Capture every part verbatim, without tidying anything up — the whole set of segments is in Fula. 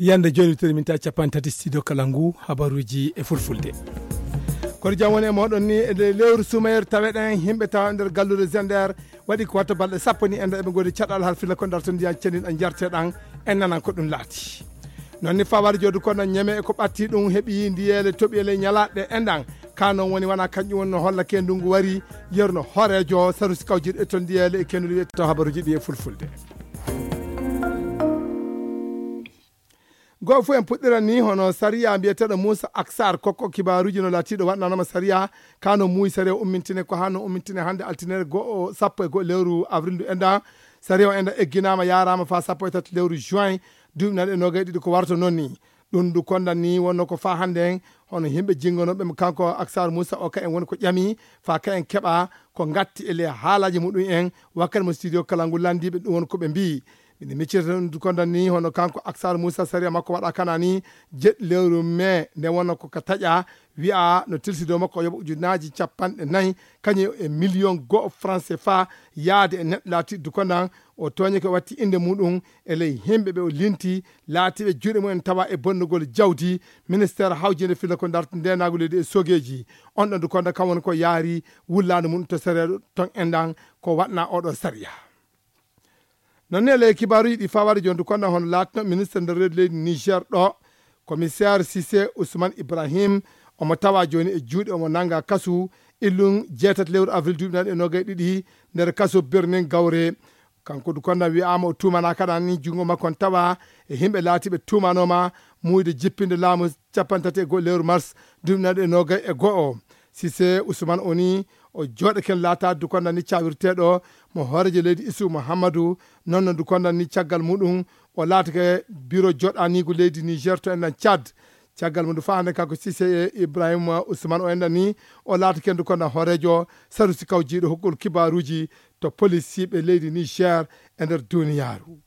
Yande jooni, witiri minti capanɗe tati, studio Kalangu, habaruuji e fulfulde. Kono jam woni e mooɗon ni, e nde lewru sumayere taweɗen, yimɓe tawa nder galluure Zender, waɗi ko watta balɗe sappo ni, enda eɓe ngoni caɗal hal fila ko darto ndiyan cenin a jarteɗan, en nanan ko ɗum laati. Noon ni fawar joodu kono ñeme e ko ɓatti ɗum heɓi ndiyeele toɓi e ley ñalaɗe enɗan, ka noon woni wana kanƴum woni no holla ke ndungu wari, yerno hooreejo sarusi kawjiɗo e ton ndiyeele e kenduɗi wiyete taw habaruuji ɗi e fulfulde. Goo fof en puɗɗiran ni hono sariya mbiyeteeɗo Moussa Aksar, kokko kibaaruuji no laatiiɗo waɗnanoma sariya, ka no muuyi sariya ummintine ko haa no ummintine hannde altinere goo sappo e goo lewru avril ndu enda. Sariya o enda egginaama yaaraama faa sappo e tati lewru juin duuɓi nayi e noogay ɗiɗi ko warto noon ni. Ɗum ndu kondan ni wonno ko faa hannde en hono yimɓe jinngonooɓe mo kanko Aksar Moussa o ka en woni ko ƴami faa ka en keɓa ko ngatti e le haalaaji muɗum en wakkati mo studio kala ngu lanndiiɓe ɗum woni ko ɓe mbiyi. Miɗo miccita ɗum ndu kondan ni hono kanko Aksar Moussa sariya makko waɗa kana ni jeɗɗi lewru mai nde wonno ko ka taƴa wi'a no tilsido makko yoɓa ujunnaaji capanɗe nayi kañum e million goo franc C F A yaade e neɗɗo laatiiɗo dukondan o tooñi ko watti innde muɗum e ley yimɓe ɓe o linti laatiiɓe juuɗe mumen tawa e bonnugol jawdi. Ministeer hawjinde filla ko darta ndeenaagu leydi e sogeeji. On ɗon dukonda kam woni ko yaari wullaandu mum to sereeɗo ton enɗan ko waɗna oɗo sariya. Noon ne ley kibaaruuji ɗi fawaade jooni dukonda hono laatino ministre nder reedu leydi Niger ɗo, commissaire Cissé Ousmane Ibrahim, omo tawa jooni e juuɗe omo nannga kasu illum jeetati lewru avril duuɓi nayi e noogay ɗiɗi nder kasu Birnin Gawre. Kanko du konda wi'aama o tuumanaa kaɗa ni junngo makko on tawa e yimɓe laatiiɓe tuumanooma muuyde jippinde laamu capanɗe tati e go'o lewru mars duuɓi nayi e noogay e go'o. Sise Usman o ni o jooɗake laataade du konda ni cawirteeɗo mo hooreejo leydi Isu Muhammadu. Noon no du konda ni caggal muɗum o laatake biro jooɗaniigu leydi Niger to enɗan Tchad. Caggal mum du faa hannde kanko Sise Ibrahima Usman o enɗan ni o laatake ndu konda hooreejo sarusi kawjiiɗo hokkol kibaaruuji to polisiiɓe leydi Niger e nder duniyaaru.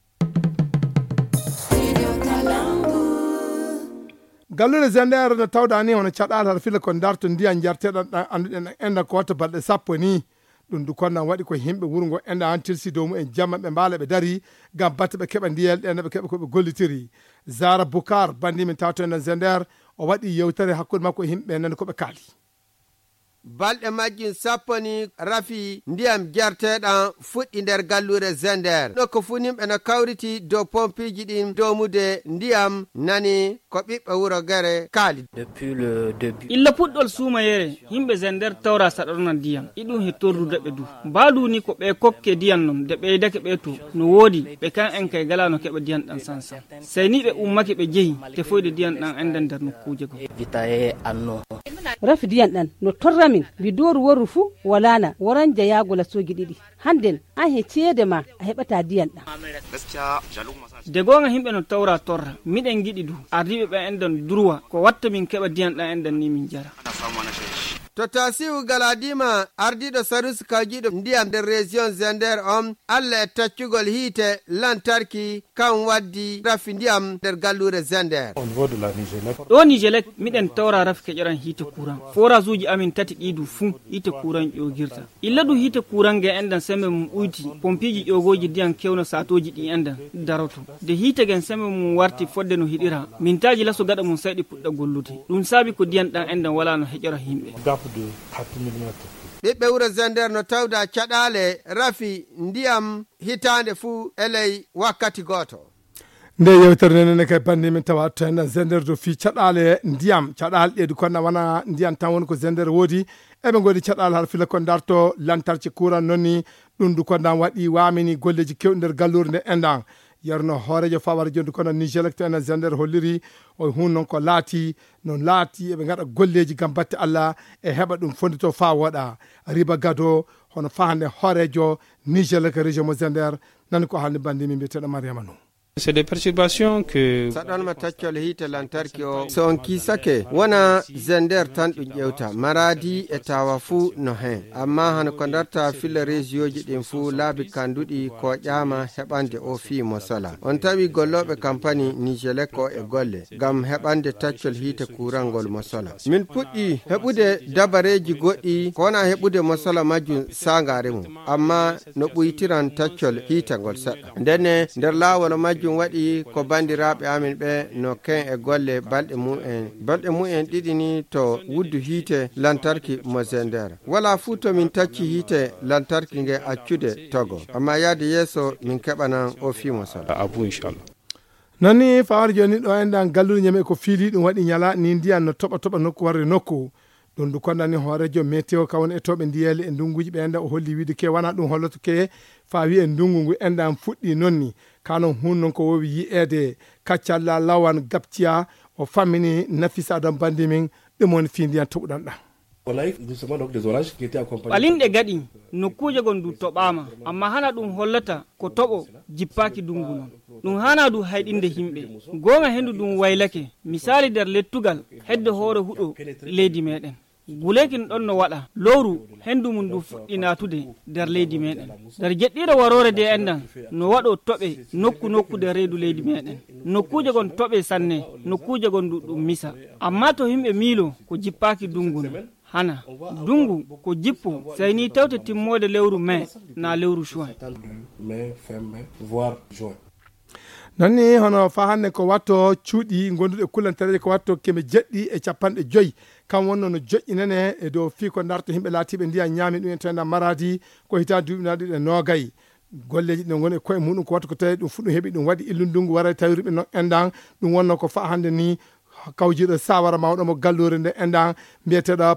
Galluure Zender no tawda ni hono caɗaal hara fila ko darto ndiyan jarteɗan ɗan annduɗen ɗan enɗan ko watta balɗe sappo ni. Ɗum du konnan waɗi ko yimɓe wuro ngo enɗan tilsi dow mumen jamma ɓe mbaala ɓe dari ngam batte ɓe keɓa ndiyel ɗen ɓe keɓa ko ɓe gollitiri. Zara Bukar bandi min tato enɗan Zender o waɗi yewtere hakkunde makko e yimɓe nani ko ɓe kaali. Balɗe majjum sappo ni rafi ndiyam jarteɗam fuɗɗi nder galluure Zender. Ɗo ko funimɓe no kawriti dow pompiiji ɗin domude ndiyam nani ko ɓiɓɓe wuro Gere kaali. Depuis le début. Illa puɗɗol suumayere, yimɓe Zender tawra saɗorna ndiyam. Iɗum he torrude ɓe du. Mbaadu ni ko ɓe kokke ndiyam non, de ɓeydake ɓe to. No woodi, ɓe kan en kay gala no keɓa ndiyam ɗam sansan. Sey ni ɓe ummake ɓe jehi, tefoyde ndiyam ɗam enɗan nder nokkuuje goo. Rafi ndiyam ɗam no torra min, mbi dooru worru fuu walaana, waran jayaago lasooji ɗiɗi. Hannden, an he ceede ma, a heɓataa ndiyam ɗam. De goonga yimɓe no tawra torra, miɗen ngiɗi du, ardiiɓe ɓe enɗan durwa, ko watta min keɓa ndiyam ɗam enɗan ni min jara. To Tasiu Galadima, ardiiɗo sarusi kawjiiɗo ndiyam nder région Zender on, Alla e taccugol hiite lantarki kan waddi rafi ndiyam nder galluure Zender. Au niveau de la Nigelec. Ɗo Nigelec, miɗen tawra rafi keƴoran hiite kuran. Forage uji amin tati ɗi du fuu hiite kuran ƴoogirta. Illa du hiite kuran ge enɗan sembe mum ɓuyti, pompiiji ƴoogooji ndiyam kewno saatooji ɗi enɗan daroto. De hiite gen sembe mum warti fodde no hiɗira, mintaaji laso gaɗa mum sayɗi puɗɗa gollude. Ɗum saabi ko ndiyam ɗam enɗan walaa no heƴora yimɓe. Gap de quatre mille mètres. Ɓiɓɓe wuro Zender no tawda caɗaale rafi ndiyam hitaande fuu e ley wakkati gooto. Nde yewtere nden ne kay bandi min tawa to en Zender do fii caɗaale ndiyam. Caɗaale ɗe du konda wana ndiyam tan woni ko Zender woodi. Eɓe ngoodi caɗaale har fila ko darto lantarki kuran nonni. Ɗum du konda waɗi waamini golleeji kewɗi nder galluure nde enɗan. Yerno hooreejo fawar jondu kono Nigelec to en Zender holliri o hun non ko laati, no laati eɓe ngaɗa golleeji ngam batte Alla e heɓa ɗum fondito faa wooɗa. Riba Gado, hono faa hannde hooreejo Nigelec région mo Zender, nani ko haalni bandi min mbiyeteeɗo Mariama Nuh. C'est des perturbations que Saɗanma taccol hiite lantarki o, so on kiisake, wona Zender tan ɗum ƴewta, Maradi e Tawa fuu no hen. Amma hano ko darta filla région ji ɗin fuu laabi kanduɗi ko ƴaama heɓande o fii mo sola. On tawi gollooɓe kampani Nigelec o e golle ngam heɓande taccol hiite kuurangol mo sola. Min puɗɗi heɓude dabareeji goɗɗi ko wona heɓude mo sola majjum saangaare mum, amma no ɓuytiran taccol hiite ngol seɗɗa. Ndenne, nder laawol majjum, Ɗum waɗi ko banndiraaɓe amin ɓe no ken e golle balɗe mumen. Balɗe mumen ɗiɗi ni to wuddu hiite lantarki mo Zender. Wala fuu to min tacci hiite lantarki nge accude togo. Amma yaade yeeso min keɓanan o fii mo sala. Abu, inchallah. Non ni fawar jooni ɗo enɗan galluure ñame ko fiili ɗum waɗi ñala ni ndiyan no toɓa toɓa nokku warre nokku. Ɗum du kondani hoorejo météo ka woni e toɓe ndiyeele e ndunguji ɓe enɗan o holli wiide ke wana ɗum holloto ke faa wi'e ndungu ngu enɗan fuɗɗi non ni. Ka non hun non ko wowi yi'eede kaccalla lawan gabciya o fammini Nafisa Adam bandi min ɗum woni fii ndiyan toɓuɗan ɗan. On a eu justement donc des orages qui étaient accompagnés. Ɓalinɗe gaɗi, nokkuuje gon du toɓaama, amma hana ɗum hollata ko toɓo jippaaki dungu non. Ɗum hana du hayɗinde himɓe. Goonga hendu ɗum waylake, misaali nder lettugal, hedde hoore huɗo leydi meɗen. Guleekin ɗon no waɗa, lowru hendu mum du fuɗɗi naatude nder leydi meɗen. Nder jeɗɗiire waroore de enɗan, no waɗo toɓe nokku nokku nder reedu leydi meɗen. Nokkuuje gon toɓe sanne, nokkuuje gon du ɗum misa. Amma to himɓe miilo ko jippaaki dungu non. Hana dungu ko jippo, sey ni tewte timmoode lewru mai na lewru juin. Mai, fin mai, voire juin. Non ni hono faa hannde ko watto cuuɗi gonduɗe kullantereeje ko watto keme jeɗɗi e capanɗe joyi. Kam wonno no joƴƴinane e dow fii ko darto himɓe laatiiɓe ndiyan ñaami ɗum en to enɗan Maradi ko hitaa duuɓi naɗi ɗe noogay. Golleeji ɗi no ngoni e koye muɗum ko watto ko tawi ɗum fuɗɗum heɓi ɗum waɗi illu ndungu waray tawi ruɓe non enɗan. Ɗum wonno ko faa hannde ni kawjiiɗo sawara mawɗo mo galluure nde enɗan mbiyeteeɗo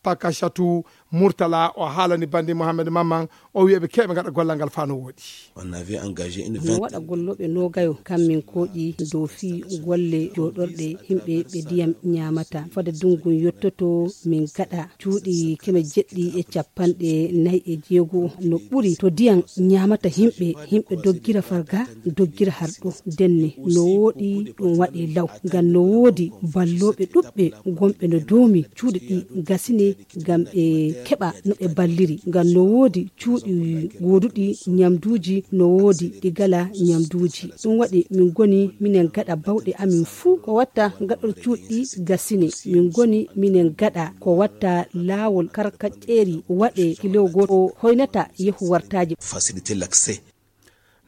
Pakashatu Murtala o haalani bandi Mohamed Mamman o wi'eɓe keɓe gaɗa gollal ngal faa no woɗi. On avait engagé une no vingtaine waɗa gollooɓe noogayo kam min kooƴi dow fii golle jooɗorɗe himɓe ɓe ndiyam ñaamata fade dungu yottoto min gaɗa cuuɗi keme jeɗɗi e capanɗe nayi e jeego no ɓuri to ndiyam ñaamata himɓe himɓe doggira farga doggira harɗo denne no woɗi ɗum waɗe law ngam no woodi ballooɓe ɗuɓɓe gonɓe no doomi cuuɗi ɗi gasine ngam ɓe keɓa no ɓe balliri ngam no woodi cuuɗi gooduɗi ñamduuji no woodi ɗi gala ñamduuji ɗum waɗi min ngoni minen gaɗa bawɗe amin fuu ko watta gaɗor cuuɗi gasine min ngoni minen gaɗa ko watta laawol karkaƴƴeeri waɗe kilo gooto hoynata yehu wartaaji. Faciliter l'accès.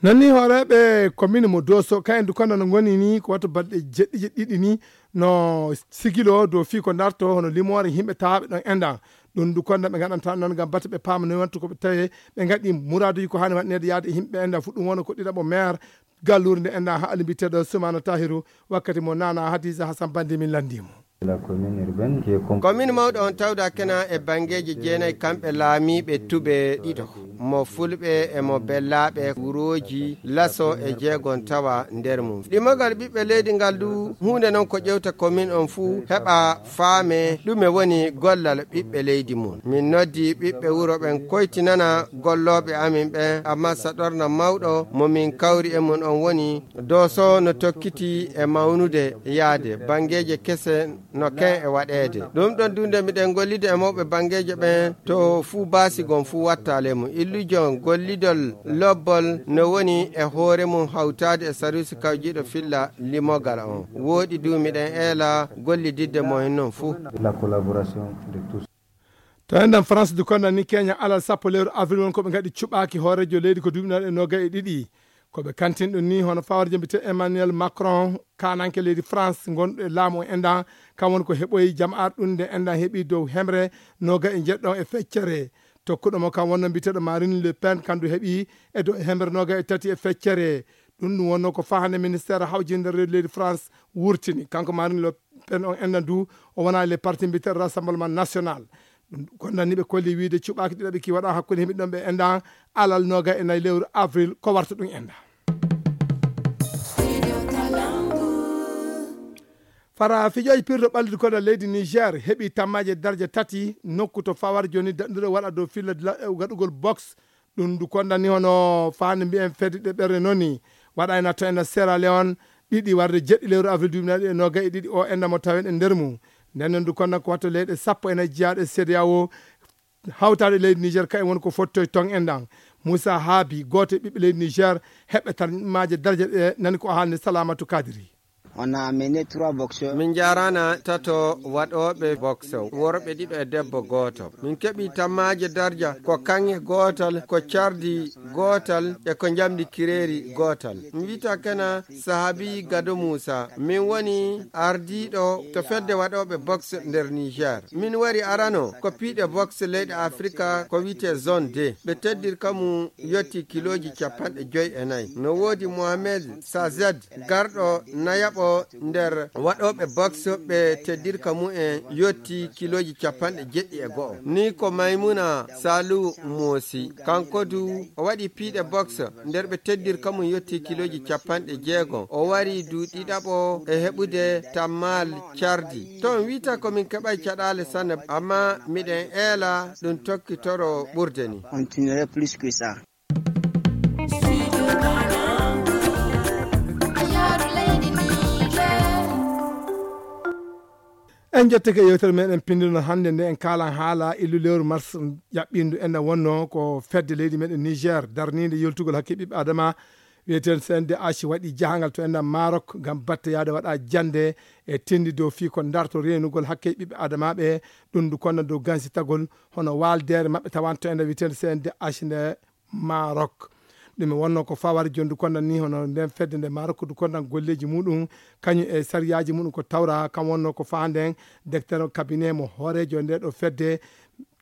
Non ni hooreeɓe commune mo Doso kayen du kono no ngoni ni ko wato balɗe jeɗɗi jeɗɗiɗi ni no sigilo dow fii ko darto hono limoore yimɓe tawaaɓe ɗon enɗan ɗum du kono ɓe ngaɗanta noon ngam bata ɓe paama no wantu ko ɓe tawe ɓe ngaɗi muraaduji ko haani waɗneede yaade e yimɓe enɗan fu ɗum wona ko ɗiɗaɓo maire galluure nde enɗan haali mbiyeteeɗo Soumana Tahiru wakkati mo Nana Hadiza Hassan Bandi min lanndii mo. Komin mawɗo on tawda kena e bangeeji jeenayi kamɓe laamiiɓe tube ɗiɗo mo fulɓe e mo bellaaɓe wurooji laso e jeegon tawa nder mum ɗimogal ɓiɓɓe leydi ngal du huunde non ko ƴewta komin on fuu heɓa faame ɗume woni gollal ɓiɓɓe leydi mum min noddi ɓiɓɓe wuro ɓen koytinana gollooɓe amin ɓen amma saɗorna mawɗo mo min kawri e mum on woni dooso no tokkiti e mawnude yaade bangeeje kese no ken e waɗeede ɗum ɗon dunde miɗen gollida e mawɓe bangeeje ɓen to fuu baasi gon fuu watta lemu illujon gollidol lobbol no woni e hoore mum hawtaade e saruusi kawjiiɗo filla limogal on wooɗi du miɗen eela gollididde mo hen non fuu. La collaboration de tous. To enɗan France du konda ni kenya alal sappo lewru avril won ko ɓe ngaɗi cuɓaaki hoorejo leydi ko duuɓi naɗe noga e ɗiɗi ko ɓe kantin ɗum ni hono fawarjo mbite Emmanuel Macron kananke leydi France gonɗo e laamu o enɗan kam woni ko heɓoyi jama'ar ɗum nde enɗan heɓi dow hemre noga e jeɗɗon e feccere tokkuɗo mo kam wonno mbiteɗo Marine Le Pen kandu heɓi e dow hemre noga e tati e feccere ɗum ɗum wonno ko fahande ministére hawjinde reedu leydi France wurtini kanko Marine Le Pen on enɗan du o wona le parti mbiteɗo Rassemblement National ɗum gondanniɓe kolli wiide cuɓaaki ɗiɗaɓe ki waɗa hakkunde himɓe ɗon ɓe enɗan alal noga e nayi lewru avril ko warta ɗum enɗan fara fijooji pirɗo ɓallidu koɗa leydi Niger heɓi tammaji e darja tati nokku to fawar joni daɗɗuɗo waɗa dow filla gaɗugol box ɗum du kondani hono fande mbiyen fedde ɗe ɓerɗe noni waɗayna to ena Sierra Leone ɗiɗi warde jeɗɗi lewru avril duuɓi nayi e noga e ɗiɗi o enɗan mo tawen e nder mum nden noon du konnan ko watto leyɗe sappo e nayi jiyaaɗe CEDEAO hawtaade leydi Niger kayen woni ko fottoy ton enɗan Moussa Habi gooto e ɓiɓɓe leydi Niger heɓɓe tan maaje darje ɗe nani ko haalni Salamatu Kadiri. On a amené trois boxeurs. Min njaaraana tato waɗooɓe boxe, worɓe ɗiɗo e debbo gooto. Min keɓi tammaaje darja ko kaŋŋe gootal, ko cardi gootal e ko njamndi kireeri gootal. Mi wiyata kana Sahabi Gado Muusa. Min woni ardiiɗo to fedde waɗooɓe boxe nder Niger. Min wari arano ko piiɗe boxe leyɗe Afrika ko wiyetee zone deux. Ɓe teddirka mum yotti kilooji capanɗe joy e nayi. No woodi Mohamed Sazed, garɗo nayaɓo nder waɗooɓe boxe, ɓe teddirka mum en yotti kilooji capanɗe jeɗɗi e go'o. Ni ko Maymuna Salu Moosi. Kanko du o waɗi piiɗe boxe nder ɓe teddirka mum yotti kilooji capanɗe jeego. O wari du ɗiɗaɓo e heɓude tammaal cardi. To on wiyata ko min keɓay caɗaale sanne, amma miɗen eela ɗum tokkitoro ɓurde ni. Continuer plus que ça. En njettike yewtere meɗen pindunoo hannde nde, en kaalan haala illu lewru mars ƴaɓɓindu. Enen wonno ko fedde leydi meɗen Niger darniinde yoltugol hakke ɓiɓɓe adama, wiyeteende C N D H, waɗi jahangal to enen Maroc ngam batte yaade waɗa jannde e tindi dow fii ko darto reenugol hakke ɓiɓɓe adamaaɓe. Ɗum du konna dow gansitagol hono waaldeere maɓɓe tawanto enen wiyeteende C N D H nde Maroc. Ɗum e wonno ko fawar jondu kondan ni hono nden fedde nde Maroc du kondan golleeji muɗum, kañum e sariyaaji muɗum ko tawra, kam wonno ko faanden directeur cabinet mo hooreejo nde ɗo fedde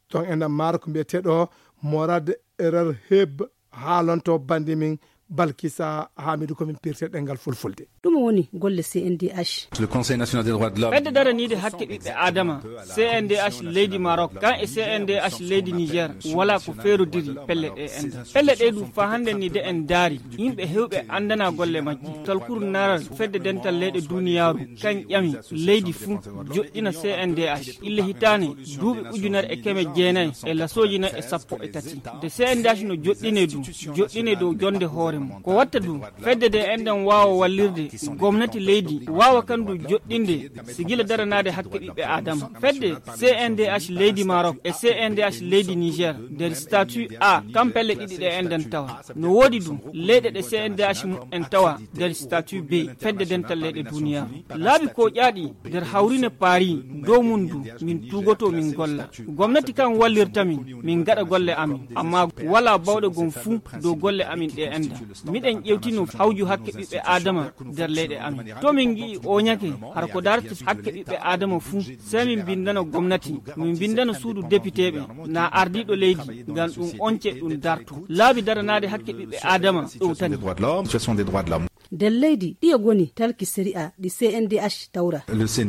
ton enen Maroc mbiyeteeɗo Morad Erer Heb. Haalonto bandi min Balkisa Hamidu ko min pirte ɗengal fulfulde. Ɗum woni golle C N D H. Le Conseil national des droits de l'homme. Fedde daraniide hakke ɓiɓɓe Adama, C N D H leydi Maroc, kan e C N D H leydi Niger, wala ko feerodiri pelle ɗe enɗan. Pelle ɗe du fa hannde ni de en daari, yimɓe hewɓe anndana golle majji. Talkuru naral fedde dental leyɗe duniyaaru, kan ƴami leydi fuu joɗɗina C N D H. Ille hitaane duuɓi ujunere e keme jeenayi e lasooji nayi e sappo e tati. De C N D H no joɗɗine du, joɗɗine dow jonde hoore mum. Ko watta du, fedde de enɗan waawa wallirde gomnati leydi, waawa kan du joɗɗinde sigila daranaade hakke ɓiɓɓe Adama. Fedde C N D H leydi Maroc e C N D H leydi Niger nder statut A, kam pelle ɗiɗi ɗe enɗan tawa. No woodi du, leyɗe ɗe C N D H mum en tawa nder statut B, fedde dental leyɗe duniyaaru. Laabi ko ƴaaɗi nder hawrine Paris, dow mum du, min tuugoto min golla. Gomnati kan wallirta min, min gaɗa golle amin. Amma wala bawɗe gon fuu dow golle amin ɗe enɗan. Miɗen ƴewtino hawju hakke ɓiɓɓe Adama nder leyɗe amin. To min ngi'i o ñake, har ko darti hakke ɓiɓɓe Adama fuu, sey min bindana gomnati, min bindana suudu depiteeɓe, na ardiiɗo leydi, ngam ɗum once ɗum darto. Laabi daranaade hakke ɓiɓɓe Adama ɗowtani. Nder leydi ɗiye goni talki sariya ɗi C N D H tawra? C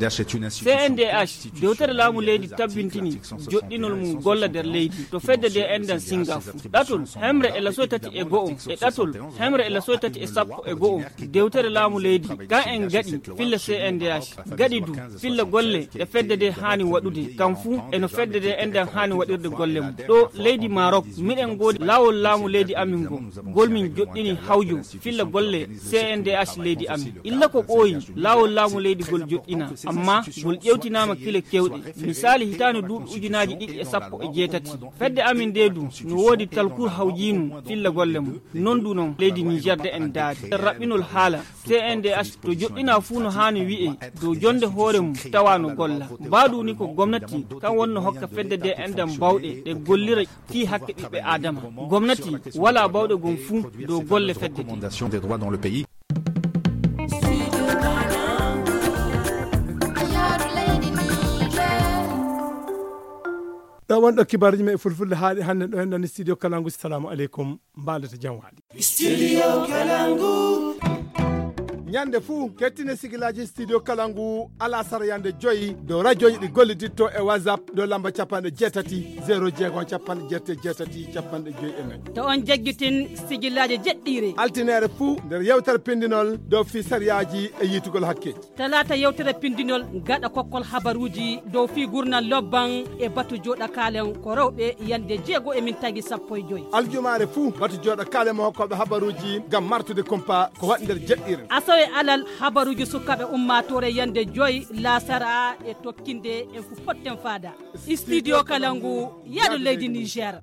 N D H, dewtere laamu leydi tabbintini joɗɗinol mum golla nder leydi to fedde de enɗan singa fuu. Ɗatol hemre e lasoy tati e go'o e ɗatol hemre e lasoy tati e sappo e go'o, dewtere laamu leydi kan en gaɗi filla C N D H, gaɗi du filla golle ɗe fedde de haani waɗude, kam fuu e no fedde de enɗan haani waɗirde golle mum. Ɗo leydi Maroc, miɗen ngoodi laawol laamu leydi amin ngo, ngol min joɗɗini hawjo filla golle C N D H leydi amin. Illa ko ɓooyi, laawol laamu leydi ngol joɗɗina, amma ngol ƴewtinaama kile kewɗe. Misaali, hitaande duuɓi ujunaaji ɗiɗi e sappo e jeetati, fedde amin nde du no woodi talkur hawjiinu filla golle mum. Non du non leydi Niger de en daari. Raɓɓinol haala C N D H to joɗɗina fuu no haani wi'e dow jonde hoore mum tawa no golla. Mbaadu ni ko gomnati kan wonno hokka fedde de enɗan bawɗe ɗe gollira fii hakke ɓiɓɓe Adama. Gomnati wala bawɗe gon fuu dow golle fedde de. Ɗo wonɗo kibaruji men e fulfulde haaɗi hannde ɗo en ɗon studio Kalangu. Salamu aleykum, mbaɗata jam waali. Studio Kalangu. Ñande fuu, kettine sigilaji Studio Kalangu alasara yande joyi dow radioji ɗi golliditto e WhatsApp dow lamba capanɗe jeetati, zéro jeego, capanɗe jeetati, capanɗe joyi e nayi. To on jaggitin sigilaji jeɗɗiire. Altinere fuu nder yewtere pindinol dow fii sariyaji e yiitugol hakke. Talaata yewtere pindinol gaɗa kokkol habaruuji dow fii gurnal lobban e batu jooɗa kaalen ko rewɓe yande jeego e min tagi sappo e joy. Aljumaare fuu batu jooɗa kaalen mo hokkooɓe habaruuji ngam martude kumpa ko waɗi nder jeɗɗiire. Asawe alal habaruuji sukaaɓe ummaatoore yande joy laasara e tokkinde en fu potten faada. Studio Kalangu, yaadu leydi Niger.